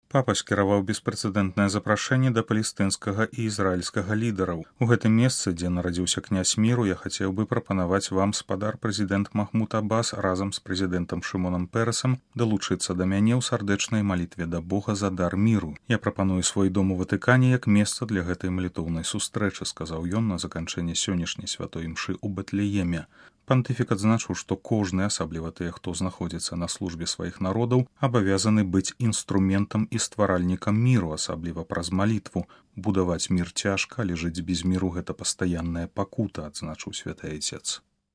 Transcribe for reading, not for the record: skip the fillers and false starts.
Папа скіраваў беспрэцэдэнтнае запрашэнне да палестынскага і ізраільскага лідараў. У гэтым месцы, дзе нарадзіўся князь міру, я хацеў бы прапанаваць вам, спадар прэзідэнт Махмуд Аббас, разам з прэзідэнтам Шымонам Перасам, далучыцца да мяне ў сардэчнай малітве да Бога за дар міру. Я прапаную свой дом у Ватыкане як месца для гэтай малітоўнай сустрэчы, сказаў ён на заканчэнні сённяшняй святой імшы ў Бэтлееме. Пантыфік адзначыў, што кожны, асабліва тыя, хто знаходзіцца на службе сваіх народаў, абавязаны быць інструментам і стваральнікам міру, асабліва праз малітву. Будаваць мір цяжка, але жыць без міру – гэта пастаянная пакута, адзначыў святы айцец.